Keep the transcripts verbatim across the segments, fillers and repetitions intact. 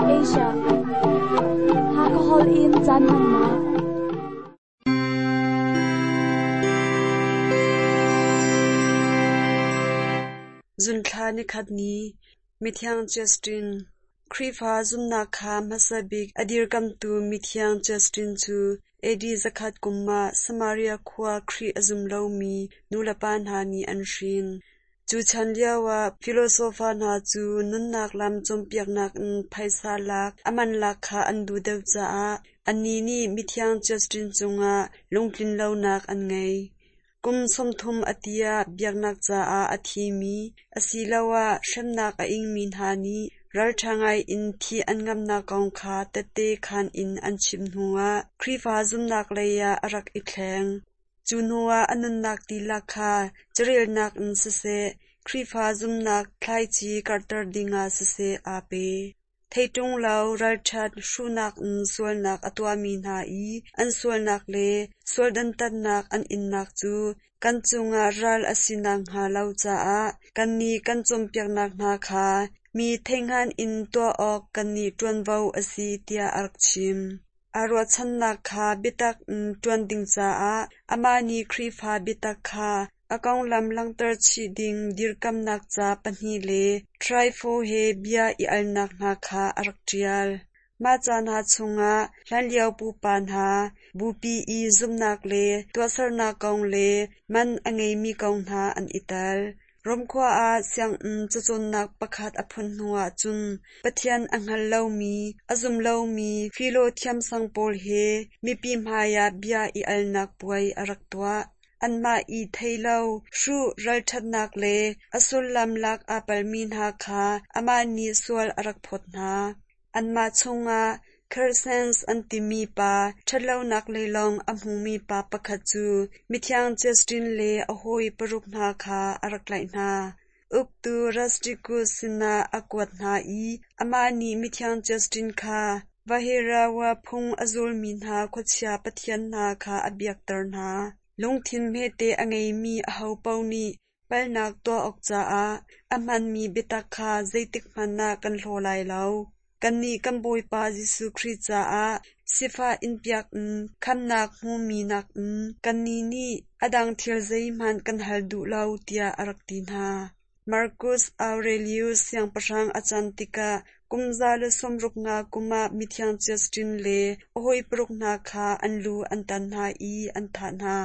Asia. Hakahol in caan hmannak. Zunthla nikhat ni, Mithiang Justin, Khrihfa zumhnak kha hmasa bik a dirkamhtu Mithiang Justin cu A D zakhat kum ah Samaria khua Khrih a zum lomi nulepa hna nih an hrin. Cu chan lioah filosofa hna cu nunnak lam cawnpiaknak in phaisa lak a man lak kha an duh deuh caah annih nih Mithiang Justin cungah lungtlinlonak an ngei. Kum sawmthum a ti ah biaknak caah a thimi asiloah hremnak a ingmi hna nih ralṭha ngaiin thih an ngamhnak kong kha tehte khaan in an chim hnuah Khrihfa zumhnak lei ah a rak i thleng. Cu hnuah a nunnak dihlak kha carelnak in siseh, Khrihfa zumhnak thlaici karhter dingah siseh aa pe. Theiṭung lo ralṭhat hruhnak in sualnak a tuahmi hna i an sualnak le sual dantatnak an innak cu kan cungah ral a si nakhnga lo caah kannih kan cawnpiaknak hna kha mi theihhngan in tuah awk kannih ṭuanvo a si tiah a rak chim. Aa ruahchannak kha biatak in ṭuan ding caah amah nih Khrihfa biatak kha a konglam langhter chih ding dirkamnak ca pahnih le Trypho he bia i alnak hna kha a rak ṭial. Mah ca hna chungah hlanlio pupa hna bupi i zumhnak le tuahsernak kong le man a ngeimi kong hna an i tel. Rom khua ah sianginn cacawnnak pakhat a phun hnuah cun Pathian a hngal lomi, a zum lomi Philo thiamsang pawl he mipi hmaiah bia i alnak puai a rak tuah. Anmah i thei lo, hruh ralṭhatnak le a sullam lak aa palmi hna kha amah nih sual a rak phawt hna. Anmah chungah Crescens an timi pa ṭhatlonak lei lawng a hmumi pa pakhat cu Mithiang Justin le a hawi paruk hna kha a rak tlaih hna. Uktu Rusticus sinah a kuat hna i amah nih Mithiang Justin kha Vaherawa phung a zulmi hna khuachia pathian hna kha a biakter hna. Lungthin hmete a ngeimi ahopaoh nih palhnak tuah awk caah a hmaanmi biatak kha zeitikhmanh ah kan hlaw lai lo. Kannih kan Bawipa Jesuh Khrih caah sifah inpiak in khamhnak hmumi nakin kannih nih a dang thil zeihmanh kan hal duh lo tiah a rak ti hna. Marcus Aurelius siangpahrang a can tikah kum za le sawmruk nga kum ah Mithiang Justin le a hawi paruk hna kha an lu an tan hna i an thah hna.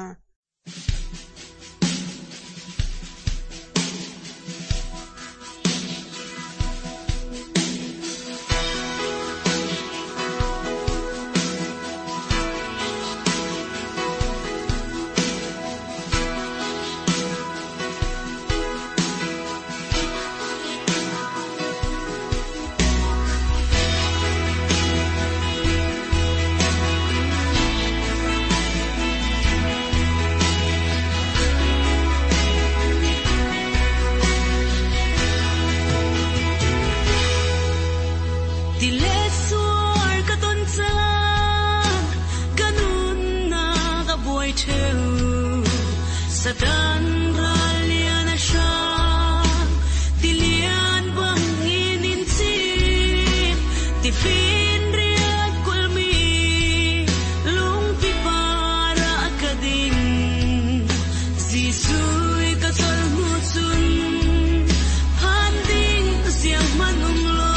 Ti le suar ka ton caan, ka nunnak a buai ṭheo. Satan ral lian a hrang, tilian bangin in cim, tifinriat kulhmi lungpi par ah ka ding. Jesuh ka chol hnu cun, phan ding siang hmanh um lo.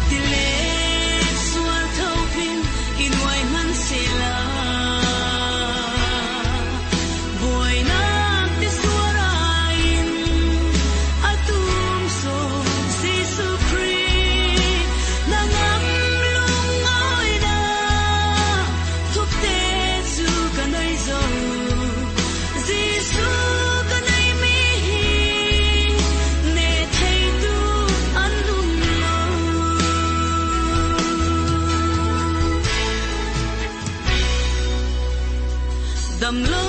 Tilet suar thopin in uai hmanh sehla. Buainak ti suar in atum so Jesuh Khrih na ngam lungawinak thupte cu ka nei zo. Jesuh ka nei mi hi ne theitu an um lo. Dam lo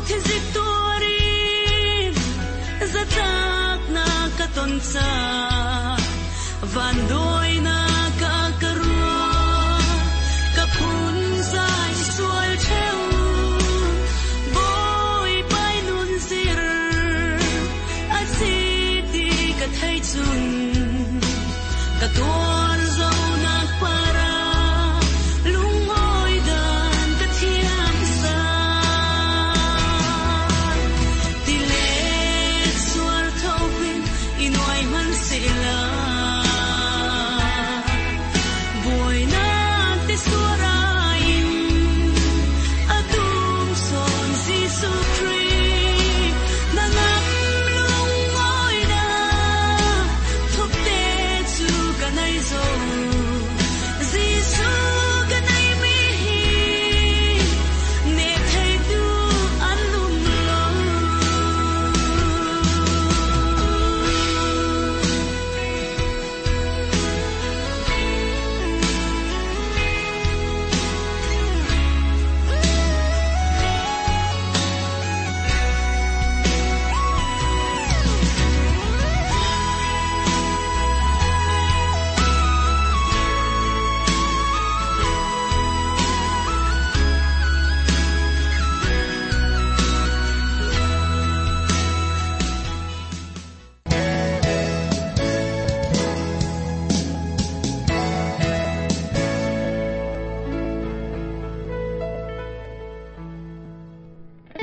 thinzik tuarin zatlak na ka ton ca, van doi na ka ka rua, ka phun zai sual theu, boi pai nun zir, a si ti ka thei chun. Ka tuar zo nak para lungoi dan ka thiam sa ti le suar thopin inuai man sila buai na te suarain atum son Jesu Christ na ngam lungoi na thup te chu ka nai zo Jesu ka nai mi hi ne thei tu an lum lo.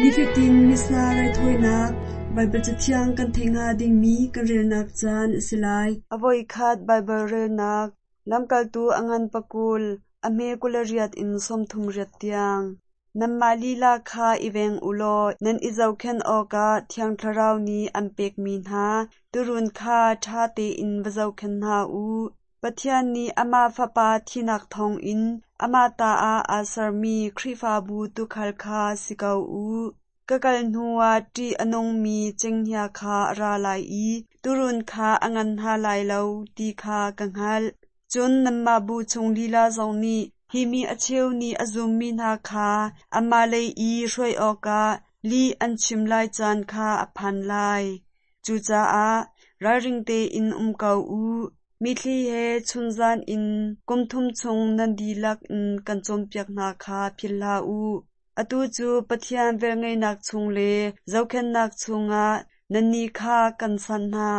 Nifatin Missa raithawinak Baibal Cathiang kan theih hnga dingmi kan relnak caan a si lai. A voikhat Baibal relnak Lamkaltu a ngan pakul, a hme kul riat in sawmthum riat tiang. Nanmah lila kha i veng u law nan i zohkhenh awkah Thiang Thlarau nih an pekmi hna tuurun kha ṭha tein va zohkhenh hna u. Pathian nih amah Fapa thinak thawngin amah ta ah aa sermi Khrihfabu tuukhal kha si ko u. Ka kal hnuah ṭih a nungmi cenghngia kha a ra lai i tuurun kha a ngan hna lai lo ti kha ka hngalh. Cun nanmah bu chung lila zong nih hi mi a cheu nih a zummi hna kha anmah lei i hruai awkah lih an chim lai caan kha a phan lai. Cucaah ralring tein um ko u. Mitthli he chunzan in kum thum chung nan dihlak in kan cawnpiak hna kha philh hlah u. Atu cu Pathian velngeihnak chung le zohkhenhnak chungah nannih kha kan sanh hna.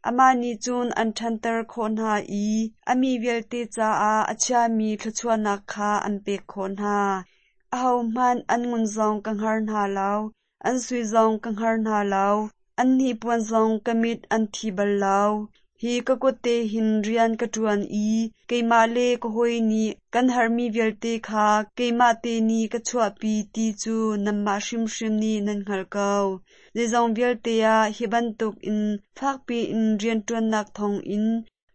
Amah nih cun an ṭhanter khawh hna i a mi vialte caah a chiami thluachuahnak kha an pek khawh hna. Ahohmanh an ngun zong ka hngar hna lo, an sui zong ka hngar hna lo, an hnipuan zong ka mit an thi bal lo. Hi ka kut te hin rian ka ṭuan i keimah le ka hawi nih kan herhmi vialte kha keimah te nih ka chuahpi ti cu nanmah hrimhrim nih nan hngalh ko. Zeizong vialte ah hi bantukin fakpi in rianṭuannak thawngin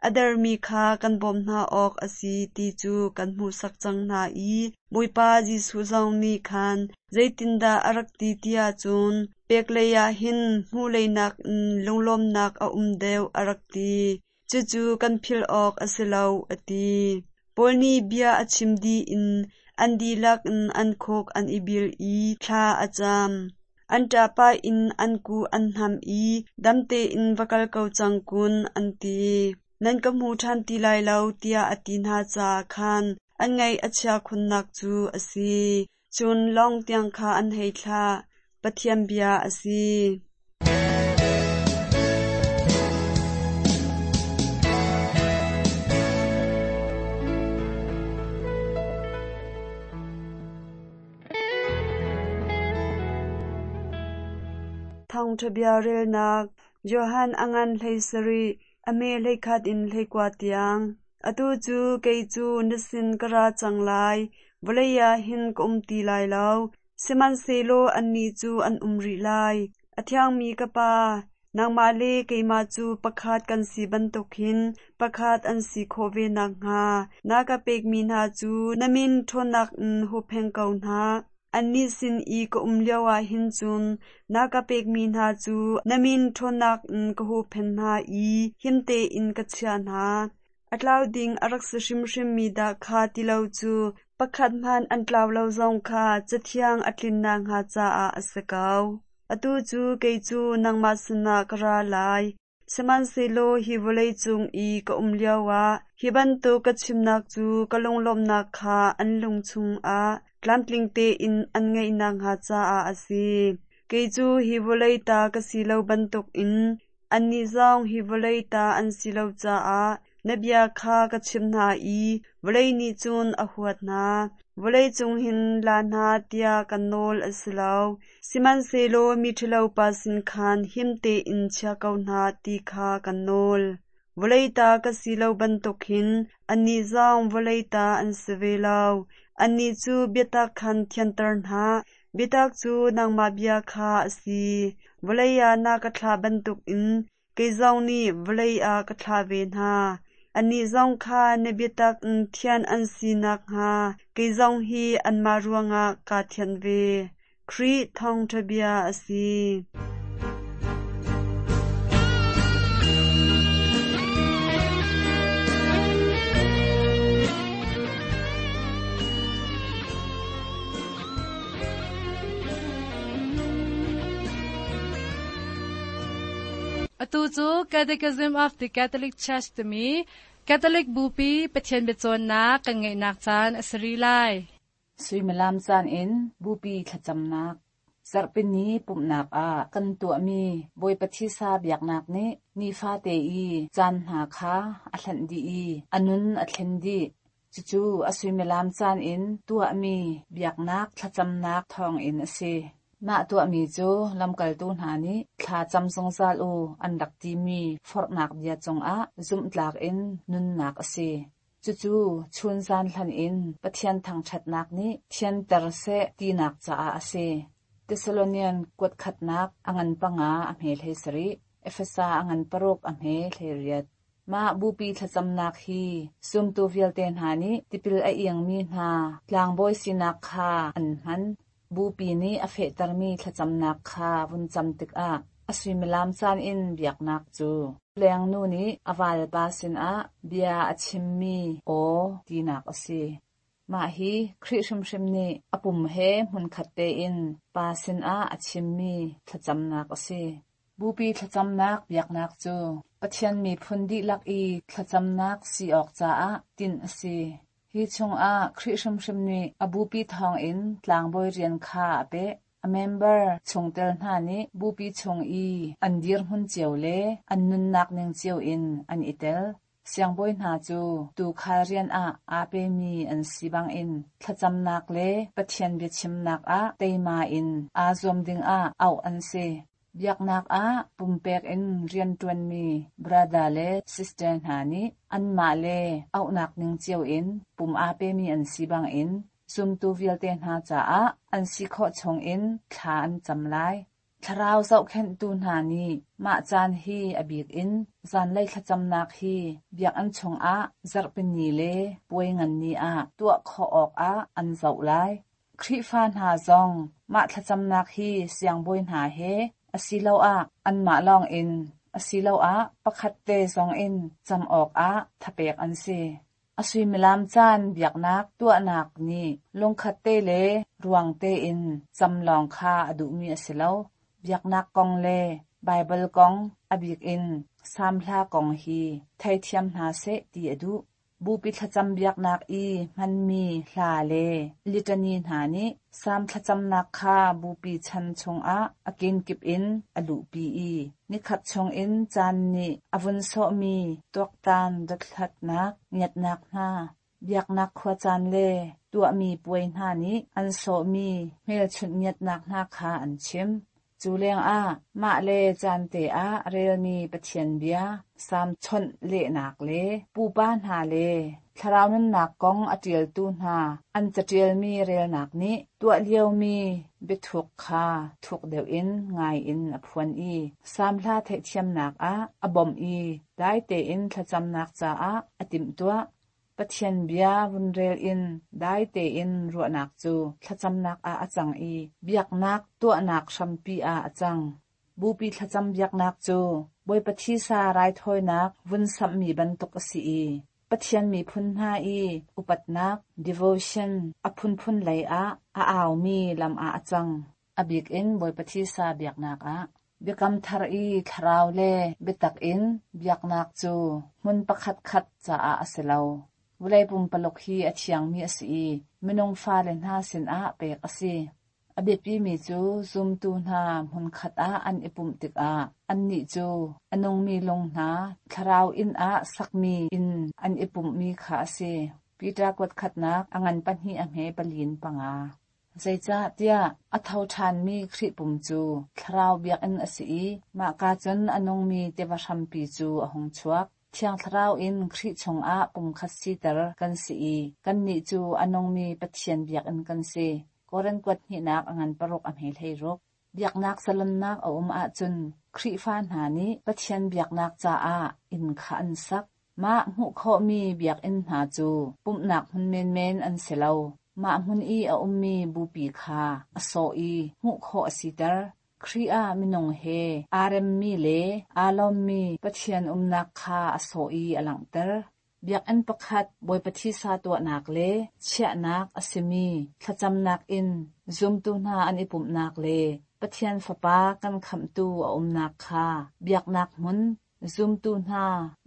a dermi kha kan bawmh hna awk a si ti cu kan hmuhsak cang hna i Bawipa Jesuh zong nih khan zeitindah a rak ti tiah cun pek lei ah hin hmuh lei nakin lunglawmhnak a um deuh a rak ti. Cucu kan philh awk a si lo a ti. Paul nih bia a chim dih in an dihlak in an khuk an i bil i thla a cam. An ṭahpah in an kuh an hnam i dam tein va kal ko cang kun an ti. Nan ka hmu ṭhan ti lai lo tiah a ti hna caah khan an ngaih a chia khunnak cu a si. Cun lawng tiang kha an hei thlah. Pathian bia a si. Thawngṭha bia relnak Johan a ngan hlei sarih, a hme hleikhat in hleikua tiang. Atu cu kei cu na sin ka ra cang lai, vawlei ah hin ka um ti lai lo. Sihmanhsehlaw annih cu an um rih lai. A thiangmi ka Pa, nangmah le keimah cu pakhat kan si bantuk hin pakhat an si khawh ve nakhnga na ka pekmi hna cu na min ṭhawnnak in huppheng ko hna. Annih sin i ka um lioah hin cun na ka pekmi hna cu na min ṭhawnnak in ka huhphenh hna i him tein ka chiah hna. A tlau ding a rak si hrimhrimmi dah kha ti lo cu pakhat hmanh an tlau lo zong kha Cathiang a tlin nakhnga caah a si ko. Atu cu kei cu nangmah sinah ka ra lai. Sihmanhsehlaw hi vawlei cung i ka um lioah hi bantuk ka chimnak cu ka lunglawmhnak kha an lung chungah tlamtling tein an ngeih nakhnga caah a si. Kei cu hi vawlei ta ka si lo bantukin annih zong hi vawlei ta an si lo caah Na bia kha ka chimh hna i vawlei nih cun a huat hna. Vawlei cung hin la hna tiah kan nawl a si lo. Sihmanhsehlaw miṭhalopa sin khan him tein chia ko hna ti kha kan nawl. Vawlei ta ka si lo bantuk hin annih zong vawlei ta an si ve lo. Annih cu biatak khan thianter hna. Biatak cu nangmah bia kha a si. Vawlei ah na ka thlah bantukin kei zong nih vawlei ah ka thlah ve hna. Annih zong kha na biatak in thian an si nakhnga kei zong hi anmah ruangah kaa thianh ve. Khrih thawngṭha bia a si. Atu cu Catechism of the Catholic Church timi Catholic Bupi Pathian biacawnnak kan ngeihnak caan a si rih lai. Suimilam caan in Bupi thlacamnak Zarhpini pumhnak ah kan tuahmi Bawipa thisa biaknak nih nifate i caan hna kha a hlanh dih i a nun a thlen dih. Cucu a suimilam caan in tuahmi biaknak thlacamnak thawngin a si. Mah tuahmi cu lamkaltu hna nih thla cam zungzal u an rak timi forhnak bia cungah zumhtlak in nunnak a si. Cucu chunzan hlan in Pathian thangṭhatnak nih thianter seh tinak caah a si. Thessalonian kuat khatnak a ngan panga a hme hlei sarih, Efesa a ngan paruk a hme hlei riat. Mah bupi thlacamnak hi zumtu vialte hna nih tipil a iangmi hna tlangbawi sinak kha an hman. Bupi nih a fehtermi thlacamnak kha vun cam tikah a suimilam caan in biaknak cu lengnu nih a valpa sinah bia a chimmi aw tinak a si. Mah hi Khrih hrimhrim nih a pum he hmunkhat tein pa sinah a chimmi thlacamnak a si. Bupi thlacamnak biaknak cu Pathian miphun dihlak i thlacamnak si awk caah tinh a si. Hi chungah Khrih hrimhrim nih a bupi thawngin tlangbawi rian kha a peh. A member chungtel hna nih bupi chung i an dirhmun cio le an nunnak ning cio in an i tel. Siangbawi hna cu tuukhal rian ah aa pemi an si bangin thlacamnak le Pathian biachimnak ah teima in aa zuam dingah auh an si. Biaknak ah pumpek in rianṭuanmi brother le sister hna nih anmah le auhnak ning cio in pum aa pemi an si bangin zumtu vialte hna caah an si khawh chungin thla an cam lai. Thlarau zohkhenhtu hna nih mah caan hi a bik in zanlei thlacamnak hi biakinn chungah zarhpini le puai ngan ni ah tuah khawh awkah an zoh lai. Khrihfa hna zong mah thlacamnak hi siangbawi hna he asiloah anmah lawngin asiloah pakhat te zongin cam awkah thapek an si. A suimilam caan biaknak tuahnak nih lungkhat te le ruang tein cam lawng kha a duhmi a si lo. Biaknak kong le Baibal kong a bik in Salm hla kong hi theithiam hna seh ti a duh. Bupi thlacam biaknak i hmanmi hla le litany hna nih Salm thlacamnak kha bupi chan chungah a kenkip in a luhpi i nikhat chungin caan nih a vun sawhmi tuaktan dothlatnak ngiatnak hna, biaknak khuacaan le tuahmi puai hna nih an sawhmi hmelchunh ngiatnak hna kha an chim. Cu lengah mah le caan te ah relmi Pathian bia, Salm chawnh lehnak le pupa hna le thlarau nunnak kong a ṭialtu hna an caṭialmi relnak nih tuah liomi biathuk kha thuk deuh in ngai in a phuan i Salm hla theihthiamnak ah a bawmh i dai tein thlacamnak caah a timhtuah. Pathian bia vun rel in dai tein ruahnak cu thlacamnak ah a cang i biaknak tuahnak hrampi ah a cang. Bupi thlacam biaknak cu Bawipa thisa raithawinak vun samhmi bantuk a si i Pathian miphun hna i upatnak devotion a phunphun lei ah a aumi lam ah a cang. A bik in Bawipa thisa biaknak ah. Biakam thar i thlarau le biatak in biaknak cu hmun pakhat khat caah a si lo. Vawlei pumpaluk hi a thiangmi a si i minung fale hna sinah pek a si. A biapimi cu zumtu hna hmunkhat ah an i pumh tikah annih cu a nungmi lung hna thlarau inn ah sakmi inn an i pumhmi kha a si. Peter kuat khatnak a ngan pahnih a hme pali in panga. Zeicahtiah a tho ṭhanmi Khrih pum cu thlarau biakinn a si i mahka cun a nungmi tiva hrampi cu a hung chuak. Thiang Thlarau in Khrih chungah pumkhat siter kan si i kannih cu a nungmi Pathian biakinn kan si. Korin kuat hnihnak a ngan paruk a hme hleiruk. Biaknak zalonnak a um ahcun Khrihfa hna nih Pathian biaknak caah inn kha an sak. Mah hmuh khawhmi biakinn hna cu pumhnak hmun menmen an si lo. Mah hmun i a ummi bupi kha a sawh i hmuh khawh a siter. Khrih ah minung he aa remmi le aa lawmmi Pathian umnak kha a sawh i a langhter. Biakinn pakhat Bawipa thisa tuahnak le chiahnak a simi thlacamnak in zumtu hna an i pumhnak le Pathian Fapa kan khamhtu a umnak kha biaknak hmun zumtu hna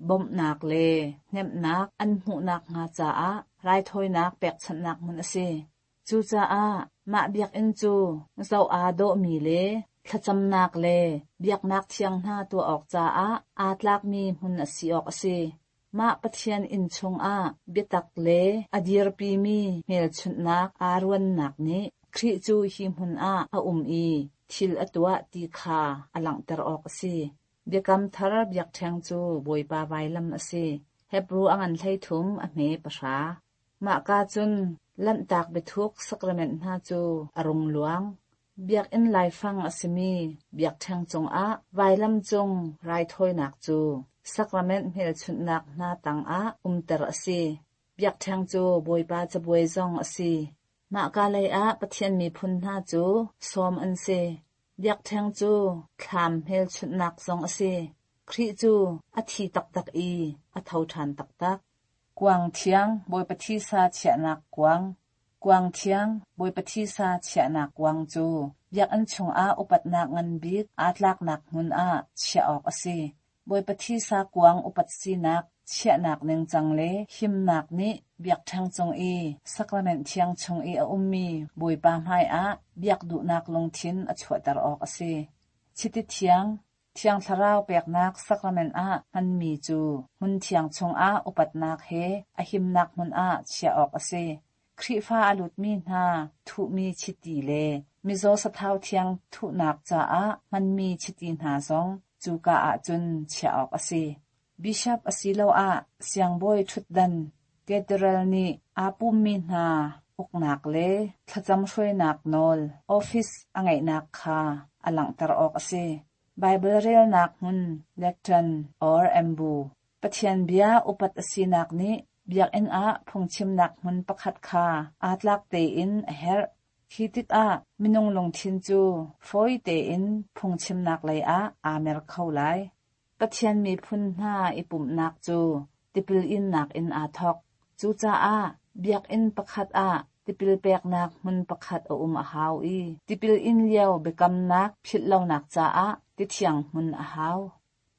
bawmhnak le hnemhnak an hmuhnak hnga caah raithawinak pekchanhnak hmun a si. Cucaah mah biakinn cu zoh aa dawhmi le thlacamnak le biaknak thiang hna tuah awk caah aa tlakmi hmun a si awk a si. Mah Pathian inn chungah biatak le a dirpimi hmelchunhnak aa ruannak nih Khrih cu hi hmun ah a um i thil a tuah ti kha a langhter awk a si. Biakam thar biakṭheng cu Bawipa vailam a si. Hebru a ngan hleithum a hme pahra. Mahka cun Lanhtak biathuk sakrament hna cu a rung luang. Biakinn laifang a simi biakṭheng cungah vailam cung raithawinak cu sakrament hmelchunhnak hna tangah umter a si. Biakṭheng cu Bawipa cabuai zong a si. Mahka lei ah Pathian miphun hna cu sawm an si. Biakṭheng cu thlam hmelchunhnak zong a si. Khrih cu a thi taktak i a tho ṭhan taktak. Kuang thiang Bawipa thisa chiahnak kuang. Kuang thiang Bawipa thisa chiahnak kuang cu biakinn chungah upatnak ngan bik aa tlaknak hmun ah chiah awk a si. Bawipa thisa kuang upat sinak chiahnak ningcang le himnak nih biakṭheng cung i sakrament thiang chung i a ummi Bawipa hmaiah biak duhnak lungthin a chuahter awk a si. Chiti thiang Thiang Thlarau peknak sakrament ah hmanmi cu hmun thiang chungah upatnak he a himnak hmun ah chiah awk a si. Khrihfa a lutmi hna thuhmi chiti le mizaw sathau thiang thuhnak caah hmanmi chiti hna zong cuka ahcun chiah awk a si. Bishop asiloah siangbawi ṭhutdan cathedral nih aa pummi hna uknak le thlacam hruainak nawl office a ngeihnak kha a langhter awk a si. Baibal relnak hmun lectern or ambo. Pathian bia upat a sinak nih biakinn ah phungchimnak hmun pakhat kha aa tlak tein a herh. Khi tikah minung lungthin cu fawi tein phungchimnak lei ah aa mer kho lai. Pathian miphun hna i pumhnak cu tipil innak in aa thawk. Cucaah biakinn pakhat ah tipil peknak hmun pakhat a um a hau i tipil in lio biakamnak philhlonak caah tithiang hmun a hau.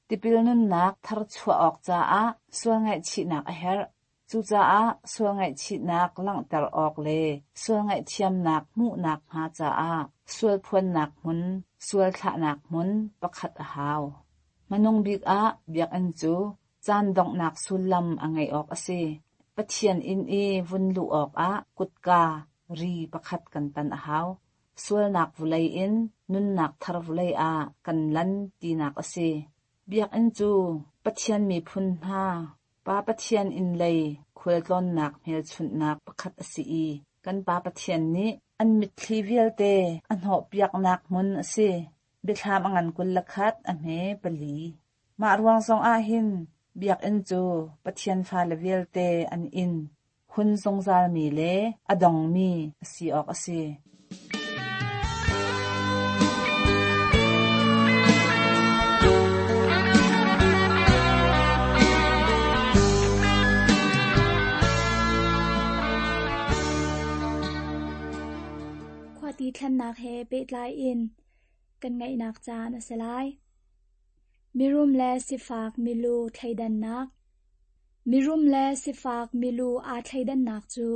Tipil nunnak tharchuah awk caah sual ngaihchihnak a herh. Cucaah sual ngaihchihnak langhter awk le sual ngaihthiamnak hmuhnak hnga caah sual phuannak hmun, sual thlahnak hmun pakhat a hau. Hmanung bik ah biakinn cu caan donghnak sullam a ngeih awk a si. Pathian inn i vun luh awkah kutka ri pakhat kan tan a hau. Sualnak vulei in nunnak thar vulei ah kan lan tinak a si. Biakinn cu Pathian miphun hna Pa Pathian inn lei khualtlawnnak hmelchunhnak pakhat a si i kan Pa Pathian nih an mitthli vialte a hnawhpiaknak hmun a si. Biathlam a ngan kul le khat a hme pali. Mah ruang zong ah hin biakinn cu Pathian fale vialte an inn, hun zungzalmi le a dongmi a si awk a si. Khuati thlennak he pehtlai in kan ngaihnak caan a si lai. Mirum le sifak milu thleidannak. Mirum le sifak milu aa thleidannak cu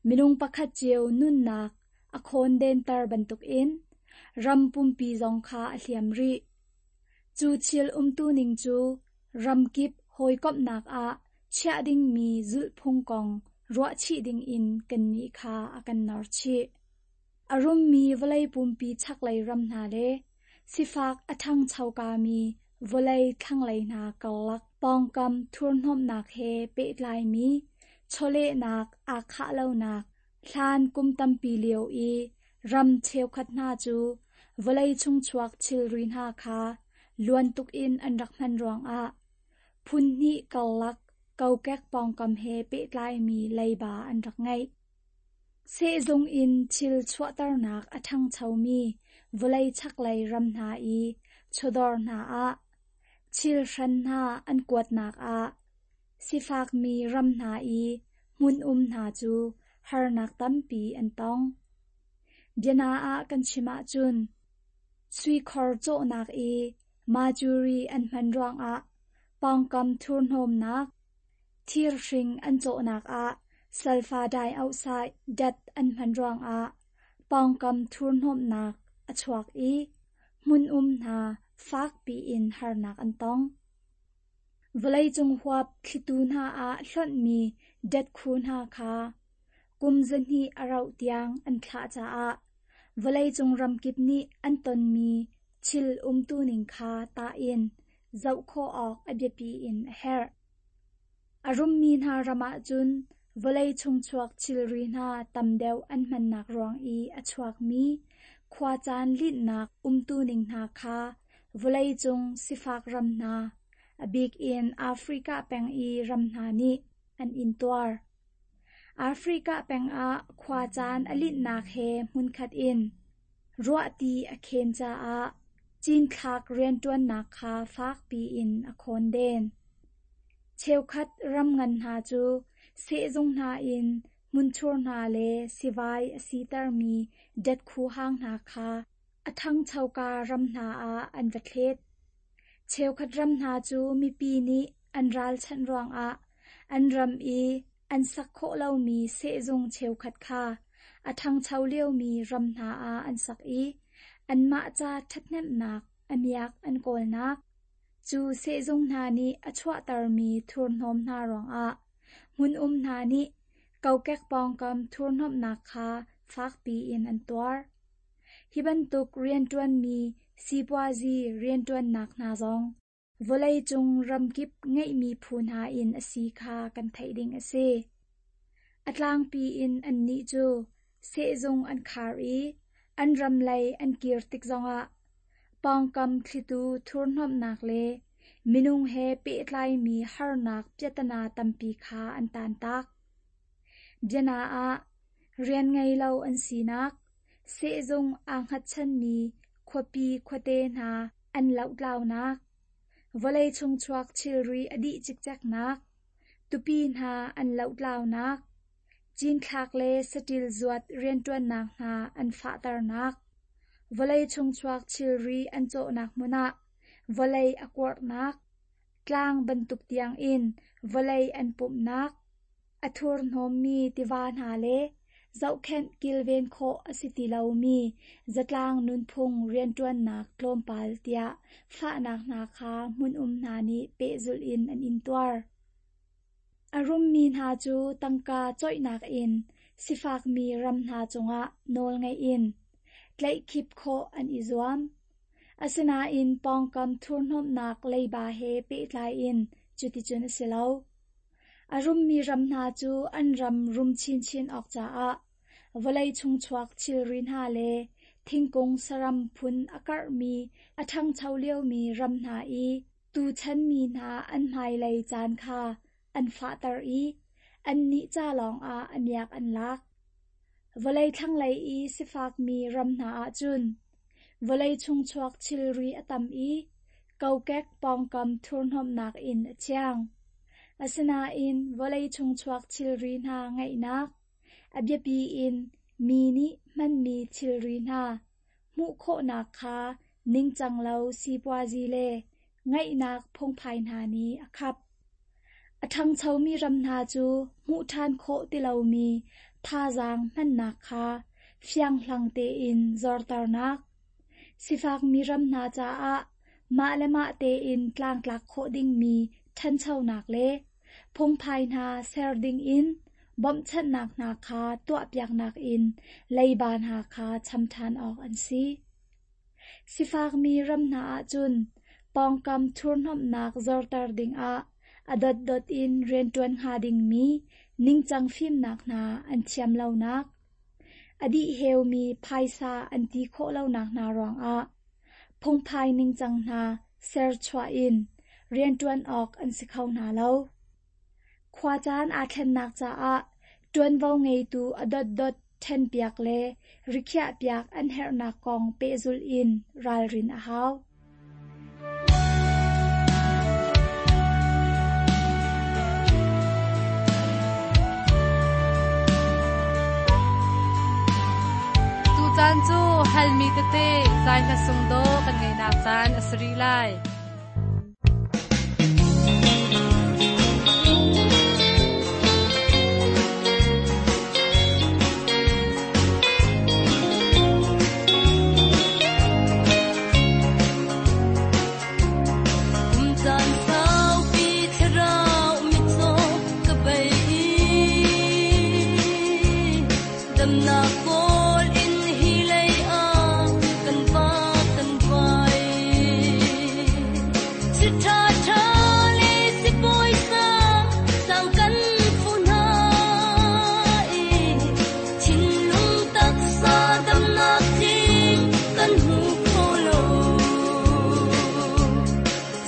minung pakhat cio nunnak a khawndenter bantukin ram pumpi zong kha a hliam rih. Cu thil umtuning cu ramkip hawikomhnak ah chiah dingmi zulhphung kong ruahchih dingin kannih kha a kan norchih. A rummi vawlei pumpi chaklei ram hna le sifak a ṭhangchokami vawlei thlanglei hna karlak pawngkam thurhnawmhnak he pehtlaimi chawlehnak aa khah lonak hlan kum tampi lio i ram cheukhat hna cu vawlei chungchuak thilri hna kha luan tukin an rak hman ruangah phun hnih karlak kokek pawngkam he pehtlaimi leiba an rak ngeih. Sehzung in thil chuahternak a ṭhangchomi vawlei chaklei ram hna i chawdawr hna ah thil hran hna an kuatnak ah sifakmi ram hna i hmun um hna cu harnak tampi an tong. Biana ah kan chim ahcun suikhor cawhnak i mercury an hman ruangah pawngkam thurhnawmnak, thirhring an cawhnak ah sulfur dioxide dat an hman ruangah pawngkam thurhnawmhnak a chuak i hmun um hna fakpi in harnak an tong. Vawleicung huap thlitu hna ah hlonhmi datkhu hna kha kum zahnih a rauh tiang an thlah caah vawleicung ramkip nih an tonmi thil umtuning kha tah in zoh khawh awk a biapi in a herh. A rummi hna ram ahcun vawlei chungchuak thilri hna tam deuh an hmannak ruang i a chuakmi khuacaan linhnak umtuning hna kha vawleicung sifak ram hna, a bik in Africa peng i ram hna nih an intuar. Africa peng ah khuacaan a linhnak he hmunkhat in ruahti a khen caah cinthlak rianṭuannak kha fakpi in a khawnden. Cheukhat ram ngan hna cu sehzung hna in hmunthur hna le sivai a sitermi datkhu hang hna kha a ṭhangchoka ram hna ah an va thlet. Cheukhat ram hna cu mipi nih an ralchanh ruangah an ram i an sak khawh lomi sehzung cheukhat kha a ṭhangcho liomi ram hna ah an sak i anmah ca ṭhathnemhnak a miak an kawlnak. Cu sehzung hna nih a chuahtermi thurhnawm hna ruangah hmun um hna nih kokek pawngkam thurhnawmhnak kha fakpi in an tuar. Hi bantuk rianṭuanmi sipuazi rianṭuannak hna zong vawleicung ramkip ngeihmi phu hna in a si kha kan theih ding a si. A tlangpi in annih cu sehzung an khar i an ram lei an kir tik zongah pawngkam thlitu thurhnawmhnak le minung he pehtlaimi harnak piahtana tampi kha an taantak. Biana ah rian ngei lo an sinak, sehzung aa hngatchanmi khuapi khuate hna an lohtlaunak, vawlei chungchuak thilri a dih cikceknak, tupi hna an lohtlaunak, cinthlak le saṭil zuat rianṭuannak hna an fahternak, vawlei chungchuak thilri an cawhnak hmun ah vawlei a kuarhnak, tlang bantuk tiangin vawlei an pumhnak, a thurhnawmmi tiva hna le zohkhenh kilven khawh a si ti lomi zatlang nunphung rianṭuannak tlawmpal tiah fahnak hna kha hmun um hna nih pehzulh in an intuar. A rummi hna cu tangka coihnak in sifakmi ram hna cungah nawlngeih in tlaihkhip khawh an i zuam. Asinain pawngkam thurhnawmhnak leiba he pehtlai in cuticun a si lo. A rummi ram hna cu an ram rum chinchin awk caah vawlei chungchuak thilri hna le thingkung saram phun a karhmi a ṭhangcho liomi ram hna i tuchanmi hna an hmailei caan kha an fahter i annih ca lawngah a miak an lak. Vawlei thlanglei i sifakmi ram hna ahcun vawlei chungchuak thilri a tam i kokek pawngkam thurhnawmhnak in a thiang. Asinain vawlei chungchuak thilri hna ngeihnak, a biapi in mi nih hmanmi thilri hna hmuh khawhnak kha ningcang lo sipuazi le ngeihnak phungphai hna nih a khap. A ṭhangchomi ram hna cu hmuh ṭhan khawh ti lomi thazaang hmannak kha fianghlang tein zorternak, sifakmi ram hna caah mah le mah tein tlangtlak khawh dingmi ṭhanchonak le phungphai hna ser dingin bawmhchanhnak hna kha tuahpiaknak in leiba hna kha cham ṭhan awk an si. Sifakmi ram hna ahcun pawngkam thurhnomhnak zorter dingah a dotdot in rianṭuan hnga dingmi ningcang fimnak hna an thiam lonak, a dihheumi phaisa an ti khawh lonak hna ruangah phungphai ningcang hna serchuah in rianṭuan awk an si kho hna lo. Khuacaan aa thlennak caah ṭuanvo ngeitu a dotdot ṭhenpiak le rikhiahpiak an herhnak kong pehzulh in ralrin a hau. Tucaan cu halmi tete zai hla sung dawh kan ngeihnak caan a si rih lai. Kum caan saupi thlarau mitcaw ka bei i damnak kawl in hi lei ah kan vak kan vai. Si ṭha ṭha le si puaisa sang kan fu hna i thinlung taksa damnak tling kan hmu kho lo.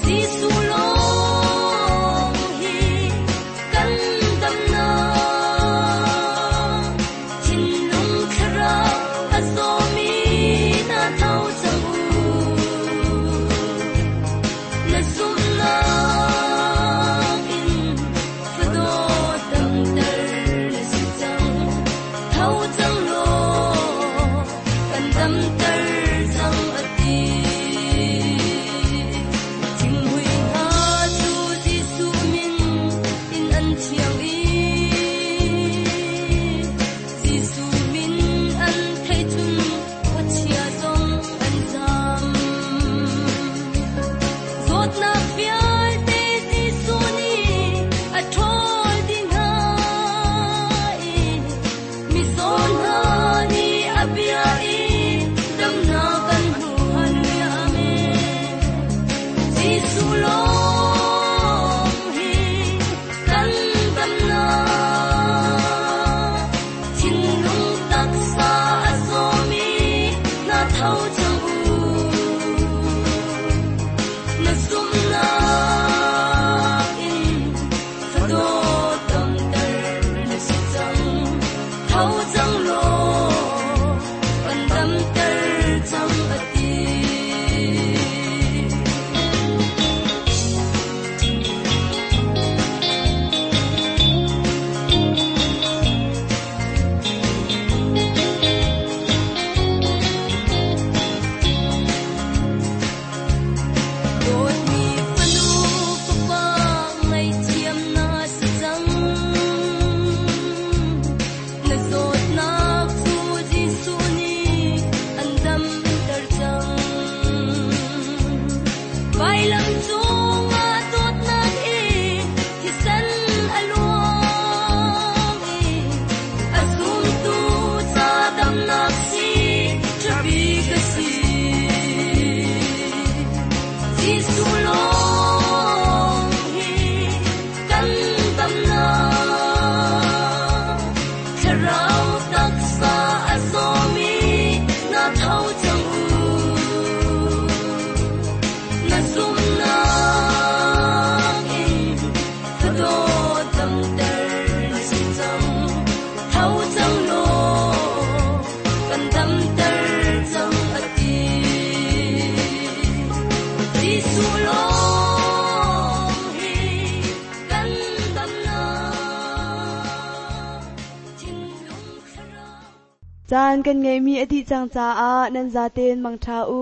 Jesuh lawng hi kan damnak, thinlung thlarau a zawmi na tho cang u. Na zumhnak in fadawt damter na si cang, tho cang law kan damter cang a ti. Thinghmui hna cu Jesuh min in an thiang i Jesuh min an theih cun khuachia zong an zam. Zawtnak vialte Jesuh nih a ṭhawl dih hna i mizaw hna nih a bia i damnak kan hmu. Hallelujah, amen. Jesuh lawng hi kan damnak, thinlung taksa a zawmi na tho cang u. Na zumhnak in fadawt damter na si cang, tho cang law kan damter cang a ti. Dawtmi fanu fapa ngaihthiam na si cang, na zawtnak cu Jesuh nih an damter cang. Vailam cungah dawtnak in thisen a luang i a zumtu ca damnak si ṭha bik a si. Jesuh lawng hi kan damnak, thlarau taksa a zawmi na tho cang u. Na zumhnak in fadawt damter na si cang, tho cang law kan damter cang a ti. Jesuh lawng hi kan damnak, thinlung thlarau Caan kan ngeihmi a dih cang caah nan zaten mangṭha u.